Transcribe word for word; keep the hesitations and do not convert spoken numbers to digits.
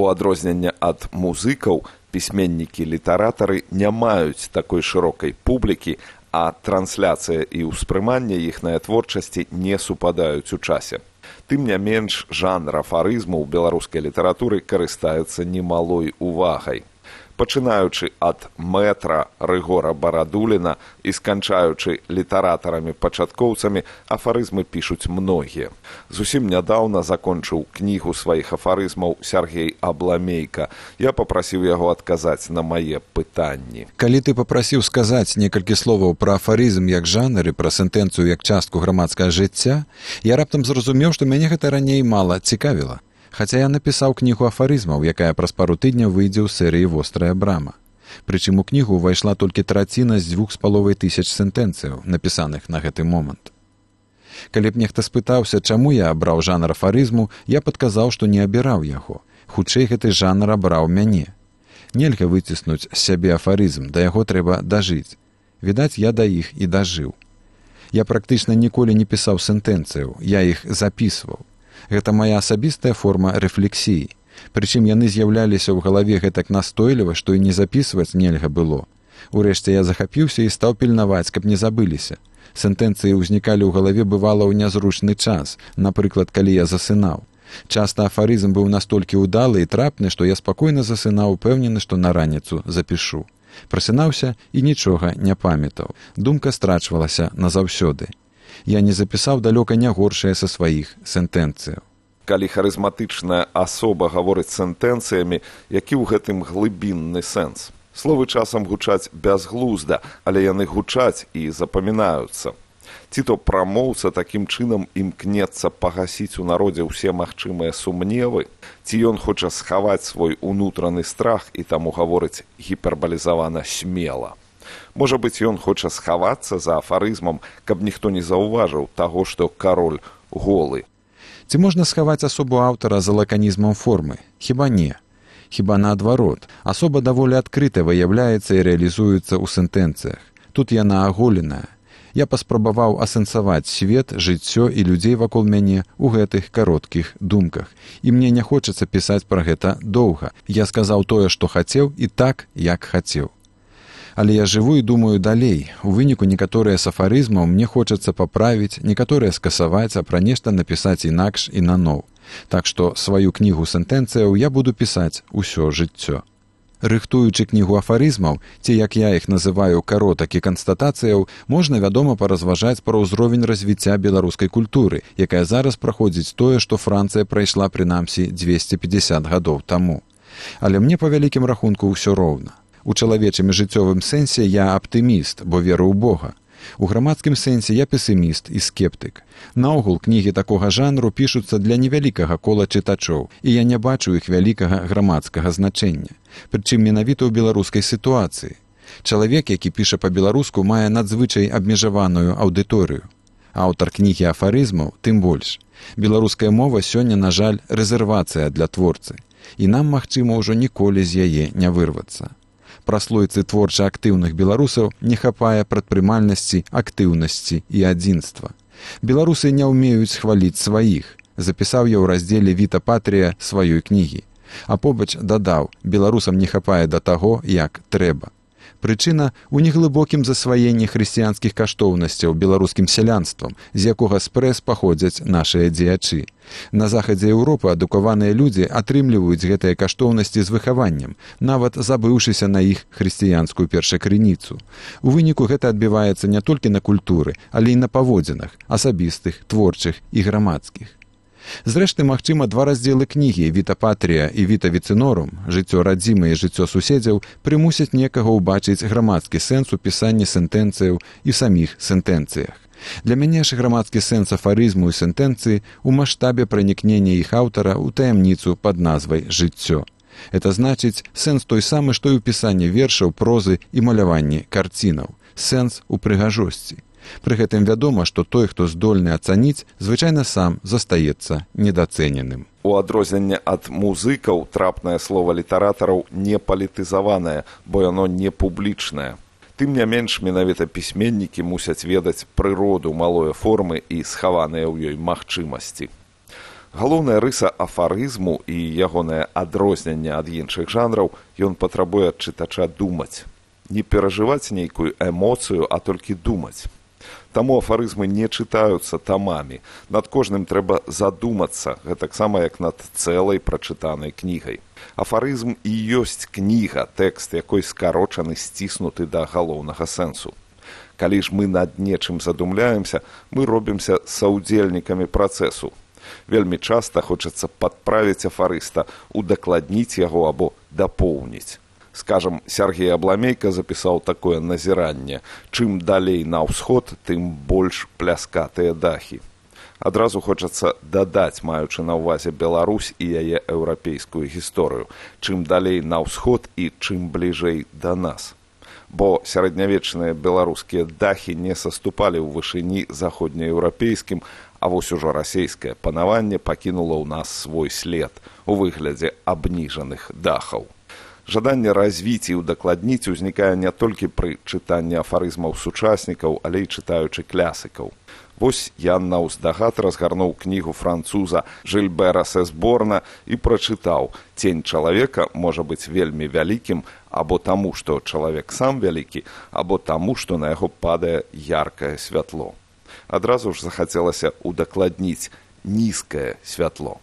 У адрозненне ад музыкаў, пісьменнікі-літаратары не маюць такой шырокай публікі, а трансляцыя і ўспрыманне іхнай творчасці не супадаюць у часе. Тым не менш, жанр афарызму ў беларускай літаратуры карыстаецца немалой увагай. Пачынаючы ад мэтра Рыгора Барадуліна і сканчаючы літаратарамі-пачаткоўцамі, афарызмы пішуць многія. Зусім нядаўна закончыў кнігу сваіх афарызмаў Сяргей Абламейка. Я папрасіў яго адказаць на мае пытанні. Калі ты папрасіў сказаць некалькі словаў пра афарызм як жанр і пра сентэнцыю як частку грамадскага жыцця, я раптам зразумеў, што мяне гэта раней мала цікавіла. Хаця я напісаў кнігу афарызмаў, якая праз пару тыдняў выйдзе ў серыі «Вострая брама». Прычым у кнігу ўвайшла толькі траціна з дзвюх з паловай тысяч сентэнцыяў, напісаных на гэты момант. Калі б нехта спытаўся, чаму я абраў жанр афарызму, я падказаў, што не абіраў яго. Хутчэй гэты жанр абраў мяне. Нельга выціснуць з сябе афарызм, да яго трэба дажыць. Відаць, я да іх і дажыў. Я практычна ніколі не пісаў сентэнцыяў, я іх запісваў. Гэта моя асабістая форма рэфлексіі. Прычым яны з'яўляліся ў галаве гэтак настойліва, што і не запісваць нельга было. Урэшце я захапіўся і стаў пільнаваць, каб не забыліся. Сентэнцыі ўзнікалі ў галаве бывала ў нязручны час, напрыклад, калі я засынаў. Часта афарызм быў настолькі ўдалы і трапны, што я спакойна засынаў, упэўнены, што на раніцу запішу. Прасынаўся і нічога не памятаў. Думка страчвалася назаўсёды. Я не запісаў далёка не горшае са сваіх сентэнцыяў. Калі харызматычная асоба гаворыць сентэнцыямі, які ў гэтым глыбінны сэнс? Словы часам гучаць бязглузда, але яны гучаць і запамінаюцца. Ці то прамоўца такім чынам імкнецца пагасіць у народзе ўсе магчымыя сумневы, ці ён хоча схаваць свой унутраны страх і таму гаворыць гіпербалізавана смела. Можа быць, ён хоча схавацца за афарызмам, каб ніхто не заўважыў таго, што кароль голы. Ці можна схаваць асобу аўтара за лаканізмам формы? Хіба не. Хіба наадварот. Асоба даволі адкрыта выяўляецца і рэалізуецца ў сентэнцыях. Тут яна аголеная. Я паспрабаваў асэнсаваць свет, жыццё і людзей вакол мяне ў гэтых кароткіх думках. І мне не хочацца пісаць пра гэта доўга. Я сказаў тое, што хацеў, і так, як хацеў. Але я жыву і думаю далей. У выніку некаторыя з афарызмаў мне хочацца паправіць, некаторыя скасаваць, а пра нешта напісаць інакш і наноў. Так што сваю кнігу сентэнцыяў я буду пісаць усё жыццё. Рыхтуючы кнігу афарызмаў, ці як я іх называю каротак і канстатацыяў, можна, вядома, паразважаць пра ўзровень развіцця беларускай культуры, якая зараз праходзіць тое, што Францыя прайшла прынамсі дзвесце пятьдесят гадоў таму. Але мне па вялікім рахунку ўсё роўна. У чалавечым і жыццёвым сэнсе я аптыміст, бо веру ў Бога. У грамадскім сэнсе я песіміст і скептык. Наогул, кнігі такога жанру пішуцца для невялікага кола чытачоў, і я не бачу іх вялікага грамадскага значэння. Прычым менавіта ў беларускай сітуацыі. Чалавек, які піша па-беларуску, мае надзвычай абмежаваную аўдыторыю. Аўтар кнігі афарызмаў тым больш. Беларуская мова сёння, на жаль, рэзервацыя для творцы. І нам, магчыма, ўжо ніколі з яе не вырвацца. Праслойцы творча актыўных беларусаў не хапае прадпрымальнасці, актыўнасці і адзінства. Беларусы не ўмеюць хваліць сваіх, запісаў я ў раздзеле «Віта Патрія» сваёй кнігі. А побач дадаў, беларусам не хапае да таго, як трэба. Прычына ў неглыбокім засваенні хрысціянскіх каштоўнасцяў беларускім сялянствам, з якога спрэс паходзяць нашыя дзеячы. На захадзе Еўропы адукаваныя людзі атрымліваюць гэтыя каштоўнасці з выхаваннем, нават забыўшыся на іх хрысціянскую першакрыніцу. У выніку гэта адбіваецца не толькі на культуры, але і на паводзінах, асабістых, творчых і грамадскіх. Зрэшты, магчыма, два раздзелы кнігі «Віта Патрія» і «Віта Віцынорум» «Жыццё радзімы» і «Жыццё суседзяў» прымусяць некага ўбачыць грамадскі сэнс у пісанні сентэнцыяў і саміх сентэнцыях. Для мяне ж грамадскі сэнс афарызму і сентэнцыі ў маштабе пранікнення іх аўтара ў таямніцу пад назвай «Жыццё». Это значыць сэнс той самы, што і ў пісанні вершаў, прозы і маляванні карцінаў. Сэнс у прыгажосці. Пры гэтым вядома, што той, хто здольны ацаніць, звычайна сам застаецца недацэненым. У адрозненне ад музыкаў трапнае слова літаратараў не палітызаванае, бо яно не публічнае. Тым не менш, менавіта пісьменнікі мусяць ведаць прыроду малой формы і схаваныя ў ёй магчымасці. Галоўная рыса афарызму і ягонае адрозненне ад іншых жанраў, ён патрабуе ад чытача думаць. Не перажываць нейкую эмоцыю, а толькі думаць. Таму афарызмы не чытаюцца тамамі. Над кожным трэба задумацца, гэтаксама як над цэлай прачытанай кнігай. Афарызм і ёсць кніга, тэкст якой скарочаны, сціснуты да галоўнага сэнсу. Калі ж мы над нечым задумляемся, мы робімся саўдзельнікамі працэсу. Вельмі часта хочацца падправіць афарыста, удакладніць яго або дапоўніць. Скажам, Сергей Абламейка запісаў такое назіранне: чым далей на ўсход, тым больш пляскатыя дахі. Адразу хочацца дадаць, маючы на ўвазе Беларусь і яе еўрапейскую гісторыю, чым далей на ўсход і чым бліжэй да нас. Бо сярэднявечныя беларускія дахі не саступалі ў вышыні заходнееўрапейскім, а вось ужо расейскае панаванне пакінула ў нас свой след у выглядзе абніжаных дахаў. Жаданне развіць і ўдакладніць узнікае не толькі пры чытанні афарызмаў сучаснікаў, але і чытаючы клясыкаў. Вось я наўздагад разгарнуў кнігу француза Жильбера Сесборна і прачытаў: «Цень чалавека можа быць вельмі вялікім або таму, што чалавек сам вялікі, або таму, што на яго падае яркае святло». Адразу ж захацелася ўдакладніць: нізкае святло.